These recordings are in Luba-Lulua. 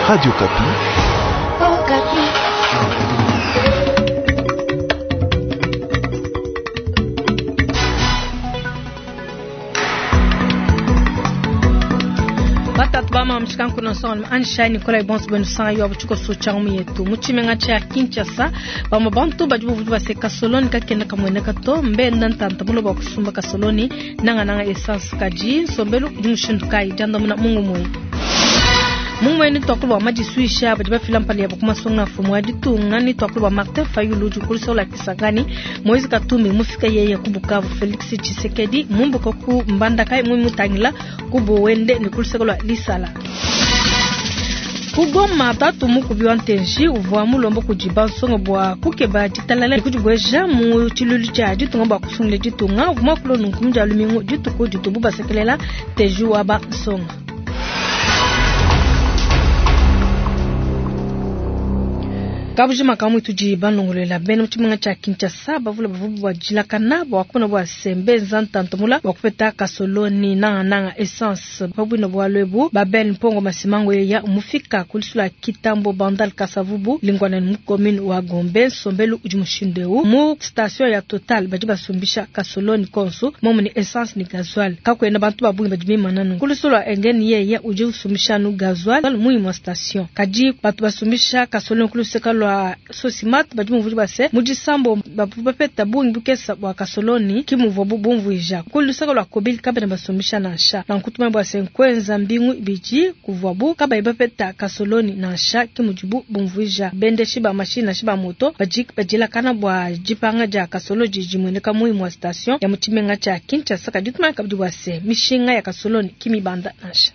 Radio Okapi. Oh, Batatu ba mama mshikanku na nsonga Anshai Nikolai bonso benu sanga yo abuchiko so changu yetu mu tshimenga tshia Kinshasa bamwe bantu badi buvudi baseka kasoloni kakenda kamueneka to mbenda ntanta muloba kusumba kasoloni nanga nanga essence kadi nsombelu udi mushindu kayi diandamuna mungu muyi mumweni twakulu bua madisuisha badi bafila mpala yabo ku masunga mfumu wa ditunga ni twakulu bua Martin Fayulu udi ukulisa ula Kisangani Moise Katumbi mufika yeye ku Bukavu Felix Tshisekedi mumbuka ku Mbandaka mumutangila ku Bowende ni kuluseka lua Lisala. Ku Goma tatu mukubi wa ntenji uvua mulomba kudi bansonga bua kukeba ditalala ne kudibueja mu tshiluilu tshia ditunga bua kusungila ditunga. Uvua muakule nunku mu dia lumingu dituku ditubu basekelela ntenji wa bansonga. Kabujima kamwe tudi balongolola bena mu tshimenga tshia Kinshasa bavule bavua bua dilakana bua kumona bua se mbenza ntantamula bua kupeta kasoloni nangananga essence pa buina bualu ebu. Babel Mpongo Masimango yeya mufika ku lisula Kitambo Bandal Kasavubu lingwana mu commune wa Gombe. Nsombelu udi mushindu eu mu station ya Total badi basumbisha kasoloni konso momu ni essence ni gasoil kakuena bantu ba bungi badi bimana nunku. Ku lisula Engeni yeye udi usumbisha nu gasoil mu imue station kadi batu basumbisha kasoloni ku luseka lua Sosimat badi bumvuija bua se mu disambo bavua bapeta bungi bukesa bua kasoloni ki muvuabu bumvuija. Ku luseke lua Kobili kabena basumbisha nansha. Nanku tumanye bua se nkuenza mbingu ibidi kuvuabu kabayi bapeta kasoloni nansha ki mudibu bumvuija. Bendeshi ba mashinyi nansha ba moto badi badielakana bua dipanga dia kasoloni didi dimueneka mu imue station ya mu tshimenga tshia Kinshasa. Kadi tumanye kabidi bua se mishinga ya kasoloni ki mibanda nansha.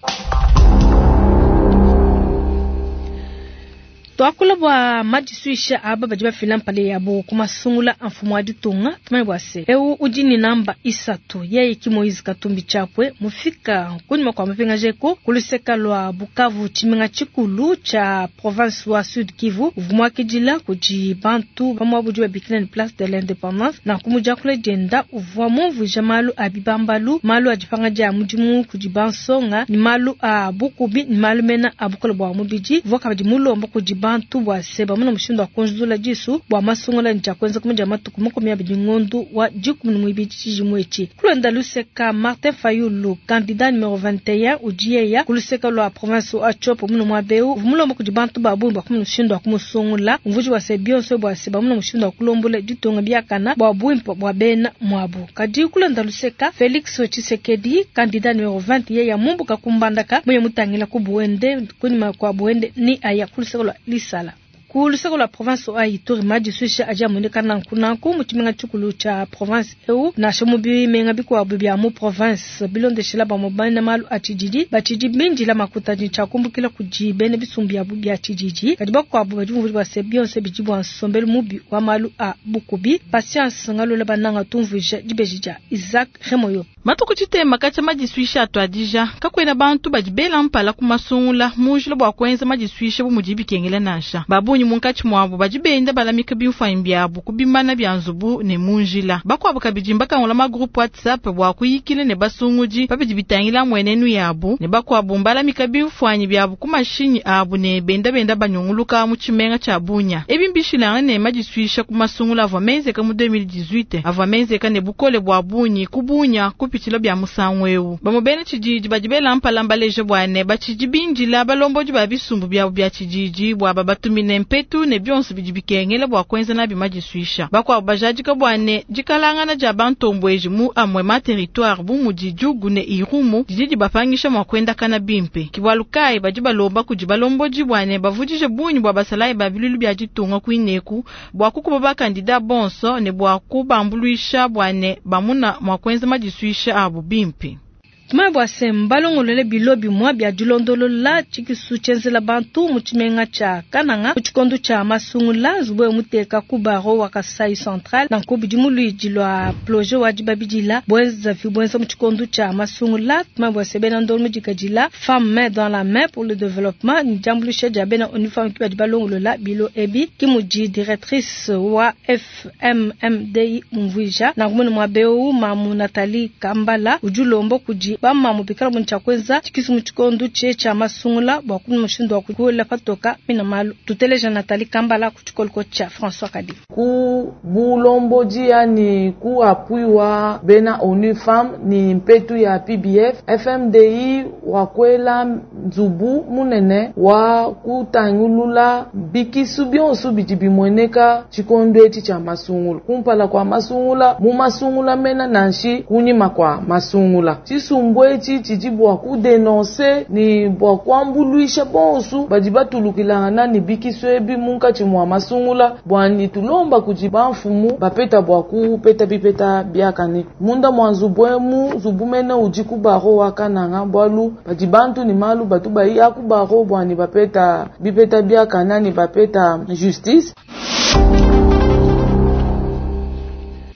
Tuakula bua madisuisha aba badi bafila mpala yabo ku masungula a mfumu wa ditunga. Tumanye bua se eu udi ni namba isatu yeye ki Moise Katumbi Chapwe mufika kunyima kua mapingajeko ku luseka lua Bukavu tshimenga tshikulu tshia province wa Sud Kivu uvua muakidila kudi bantu ba muabu udi babikila ne Place de l'Independance. Nanku mu diakula dienda uvua mumvuija malu a bibambalu, malu a dipanga dia mudimu kudi bansonga ni malu a bukubi ni malu mena a bukole bua mubidi. Uvua kabidi mulomba kudi bantu bua se bamona mushindu wa kunzula disu bua masungula ne tshia kuenza ku dia matuku 20 ngondu wa 12 tshidimu etshi. Kulonda luseka Martin Fayulu candidat numero 21 udi yeya ku luseka lua province wa Tshopo muno muaba eu uvua mulomba kudi bantu ba bungi bua kumona mushindu wa kumusungula. Umvuija bua se bionso bua se bamona mushindu wa kulombola ditunga biakana bua buimpe bua bena muabu. Kadi kulonda luseka Felix Tshisekedi candidat numero 20 yeya mumbuka ku Mbandaka muye mutangila ku Buende kunyima kua Buende ni aya ku luseka lua Lisala. Ku luseka lua province wa Ituri madisuisha adi amueneka nanku nanku mu tshimenga tshikulu tshia province eu nansha mu bimenga bikuabu bia mu province bilondeshela bamue bena malu a tshididi batshidi bindila makuta ne tshiakumbukila kudi bena bisumbu biabu bia tshididi. Kadi bakuabu badi bumvuija bua se bionso bidi bua nsombelu mubi wa malu a bukubi. Patience Ngalula Bananga tumvuija dibeji dia Isaac Remoyo. Matuku tshitema katshia madisuisha atuadija kakuena bantu badi bela mpala ku masungula mu njila bua kuenza madisuisha bu mudi bikengela nansha. Ba bungi munkatshi muabu badi benda balamika bimfuanyi biabu ku bimana bia nzubu ne mu njila. Bakuabu kabidi mbakangula ma groupe WhatsApp bua kuyikila ne basungudi pabidi bitangila mmuenenu yabu, ne bakuabu mbalamika bimfuanyi biabu ku mashinyi abu ne benda benda banyunguluka mu tshimenga tshia Bunia. Ebi mbishilangane ne madisuisha ku masungula avua menzeka mu 2018 avua menzeka ne bukole bua bungi ku Bunia kupitshila bia musangu eu. Bamue bena tshididi badi bela mpala mbaleje bua ne batshidi bindila balombodi ba bisumbu biabu bia tshididi bua babatumine mpetu ne bionso bidi bikengela bua kuenza nabi madisuisha. Bakuabu bajadika bua ne dikalangana dia bantombueji mu amue ma territoire bu mudi Djugu ne Irumu didi dibapangisha mua kuendakana bimpe. Ke bualu kayi badi balomba kudi balombodi bua ne bavudije bungi bua basalayi ba biluilu bia ditunga kuineku bua kukuba bakandida bonso ne bua kubambuluisha bua ne bamuna mua kuenza madisuisha abu bimpe. Tumanye bua se mbalongolole bilo bimue bia dilondolola tshikisu tshienzela bantu mu tshimenga tshia Kananga mu tshikondo tshia masungula. Nzubu eu muteka ku baro wa Kasai Central nanku bidi mu luidi lua projet wa dibabidila buenzavi buenza mu tshikondo tshia masungula. Tumanye bua se bena ndongo mudikadila Femme main dans la main pour le développement ni diambuluisha dia bena ONU Femmes ki badi balongolola bilo ebi ki mudi directrice wa FMMDI umvuija. Nanku mune muaba eu Mamu Nathalie Kambala udi ulomba kudi Bamamu bikala bu tshia kuenza tshikisu mu tshikondo tshie tshia masungula bua kumona mushindu wa kuela patoka mina malu. Tuteleja Nathalie Kambala ku tshikoliko tshia François Kadi. Ku bulombodi yani ku appui wa bena ONU Femmes ni mpetu ya PBF, FMDI wakwela nzubu munene wa kutangulula bikisu bionso bidi bimueneka tshikondo etshi tshia masungula, kumpala kwa masungula, mu masungula mena nanshi kunyima kwa masungula. Tshisumbu etshi tshidi bua kudenonse ni bua kuambuluisha bonso badi batulukilangana ni bikisu ebi munkatshi mua masungula, bua ni tulomba kudi bamfumu bapeta bua kupeta bipeta biakane. Munda mua nzubu emu, nzubu mene udi ku baro wa Kananga, bualu badi bantu ni malu batu baya ku baro bua ni bapeta bipeta biakane ni bapeta justice.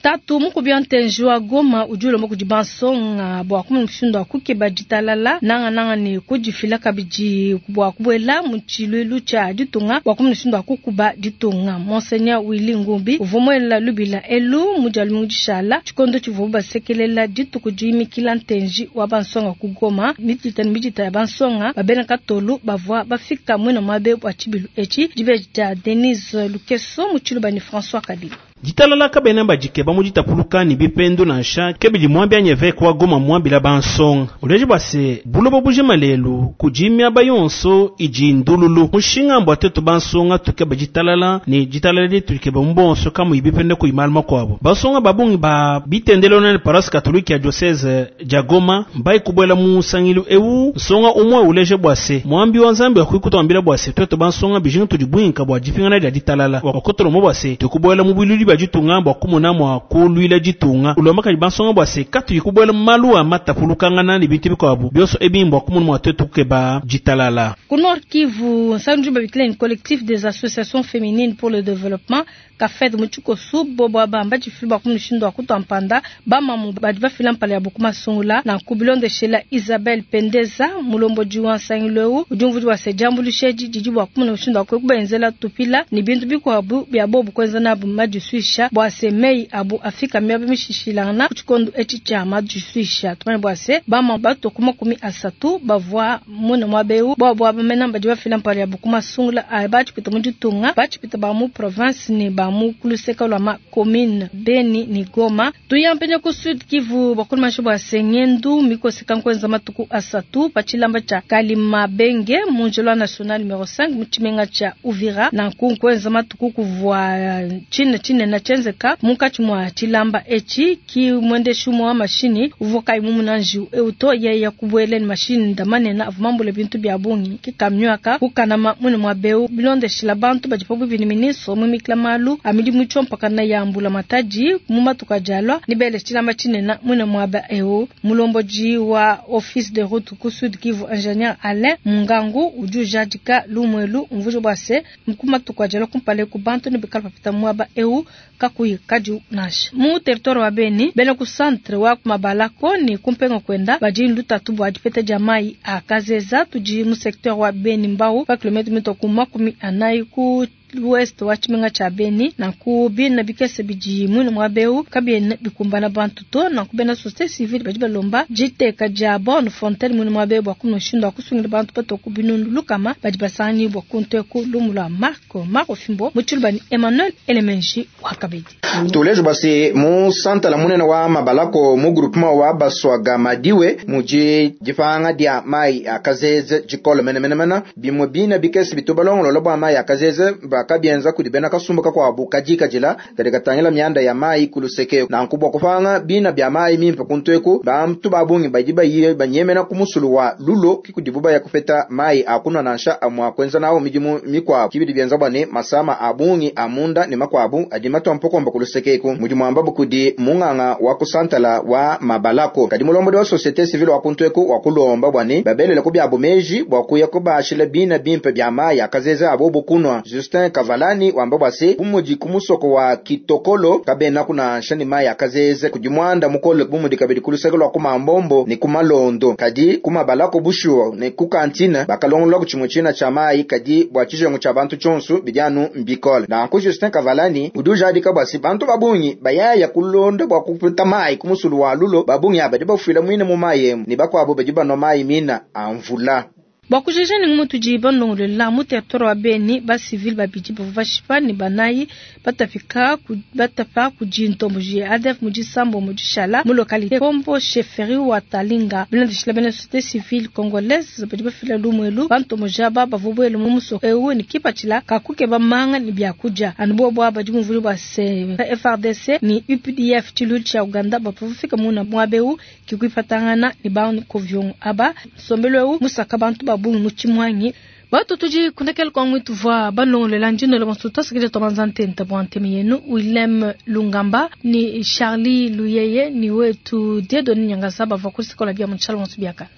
Tatu mukubi wa ntenji wa Goma udi ulomba kudi bansonga bua kumona mushindu wa kukeba ditalala nangananga ne kudifila kabidi bua kubuela mu tshiluilu tshia ditunga bua kumona mushindu wa kukuba ditunga. Monseigneur Willy Ngumbi uvua muela lubila elu mu dia lumingu dishala tshikondo tshivuabu basekelela dituku diimikila ntenji wa bansonga ku Goma. Midita ne midita ya bansonga babena katolu bavua bafika muina muabe bua tshibilu etshi. Dibeji dia Denise Lukeso mu tshiluba ne François Kabila. Ditalala kabena badikeba mu ditapuluka ne bipendu nansha kebidi muambi anyi évêque wa Goma muambila bansonga. Uleje bua se buloba bujima lelu kudi miaba yonso idi ndululu. Mushinga mbua tuetu bansonga tukeba ditalala ne ditalala dietu dikeba mu bonso kamuyi bipende kuyi malu makuabu. Bansonga ba bungi ba bitendelo ne paroisse catholique ya diocèse dia Goma mbayi kubuela mu nsangilu ewu. Nsonga umue uleje bua se muambi wa Nzambi wakuikutuambila bua se tuetu bansonga bijinga tudi buinka bua dipingana dia ditalala. Wakutulomba bua se tukubuela mu bwiludi bia ditunga bua kumona mua kuluila ditunga. Ulomba kadi bansonga bua se katuyi kubuela mu malu a matapulukangana ne bintu bikuabu bionso ebi mbua kumona mua tuetu kukeba ditalala. Ku Nord Kivu, nsangi babikila ni collectif des associations féminines pour le développement Kafed mu tshikosu bobo bamba tshifilu bua kumushindu wa kutua mpanda bamamu badi bafila mpala ya buku masungula na kubilondeshela Isabelle Pendeza mulombodi wa nsangilu eu udi umvudi wa se diambuluisha edi didi bua kumona mushindu wa kubenzela tupila ne bintu bikuabu bia bobu kuenza nabu madisuisha bua se mei abu afika miaba mishishilangana ku tshikondo etshi tshia madisuisha. Tumanye bua se bamamu bato ku 30 bavua muna muaba eu bobo bamena badi bafila mpala ya buku masungula a batshipita mu ditunga batshipita ba mu province ne ba mu kuluseka lwa ma commune Beni ni Goma. Tuyampenya ku Sud Kivu bakuluma bwa sengendu mikoseka nkwenza matuku asatu pa tshilamba tshia Kalimabenge mu njelo national numero 5 mu tshimenga tshia Uvira na nkwenza matuku kuvua chine chine na chenzeka munkatshi mwa tshilamba etshi ki mwendeshi mwa mashini uvua kayi mumunanji euto yeya kubuele ni mashini ndamanena avumambule bintu bia bungi ki kamyuaka kukanama mune mwa beu bilondeshila bantu badi pabuipi ni ministre mumikila malu amidi mutshompaka na yambula matadi mu matuka jalwa ni bele tshilamba tshinena mune mwaba eu mulomboji wa office de route ku Sud Kivu ingénieur Alain Mungangu udi ujadika lumwelu mvujo bwa se mkumatuka jalwa kumpale ku bantu ne bikala papita mwaba eu kakuyi kadi nansha mu territoire wa Beni bena ku centre wa kumabalako ni kumpenga kwenda badi lutatu bwa dipeta dia mai akazeza tudi mu secteur wa Beni mbau pa kilometre mito ku 40 ku l'ouest wa tshimenga tshia Beni na ku bina bikese bidi mwina mwa beu kabiena bikumbana bantu to na ku bena société civile badi balomba jiteka dia bonne fontaine mwina mwa beu bua kumushindu wa kusungila bantu patoku binundu lukama badi basangani bua kunteku lumu lwa Marco Marco Fimbo mutshiluba ni Emmanuel Elemenji wa kabidi. Tulejo basi mu santa la munene wa mabalako mu groupement wa baswaga madiwe muji dipanga dia mai akazeze jikolo menemenemena bimwe bina bikese bitubalongolola bwa mai akazeze bakabienza kudi bena kasumbuka kwabu kajikajila kadi katangila myanda ya mai kuluseke na nkubwa kupanga bina bya mai mimpe kuntweku bantu babungi badi bayiye banyemena kumusulu wa lulo kikudibu ya kupeta mai akunwa nansha amwa kwenza nawo midimu mikwabu kibidi bienza bwane masama abungi amunda ne makwabu adi matwampokomba kulusekeku mudimu ambabu kudi munganga wa kusantala wa mabalako kadi mulombodi wa société civile wa kuntweku wa kulomba bwane babelele ku byabu meji bwa kuya kubashila bina bimpe bya mai akazeze abo bukunwa Justin Justin Kavalani wamba bua se bumudi ku musoko wa Kitokolo kabena kunansha ne mayi akazeze kudi muanda mukole bumudi kabidi ku luseke lua ku Mambombo ne ku Malondo kadi ku Mabalako bushuwa ne ku kantina bakalongolola ku tshimue tshina tshia mayi kadi bua tshijengu tshia bantu tshionso bidi anu mbikole. Nanku Justin Kavalani udi ujadika bua se bantu babungi bayaya kulonda bua kupeta mayi ku musulu wa Lulo babungi aba badi bafuila muine mu mayi emu ne bakuabo badi banua mayi mina a mvula. Bua kujeja ne ngumu tudi balongolola mu territoire wa Beni, ba civil babidi bavua bashipa ne banayi batapika ku, batapa kudi ntomboji ya ADF mu disambombo dishala mu localité Kombo chefferie wa Talinga. Bilondeshila bena société civile congolaise badi bafila lumu elu, bantomboji aba bavua buele mu musoko eu ne kipatshila ka kukeba manga ne biakudia. Anu bobu aba badi bumvuija bua se FARDC ne UPDF tshiluilu tshia Uganda bavua bafika muna muaba eu kikuipatangana ne bankoviongo aba. Nsombelu eu musaka bantu ba bungi mu tshimuangi. Batu tudi kundekela kwa ngwitu vwa balongolola ndino le bonso twasikile twabanza ntenta bwa ntemi yenu Willem Lungamba ni Charlie Luyeye ni wetu Dieudonné Nyangasa bavua ku sikola bia mu tshalo bonso biakana.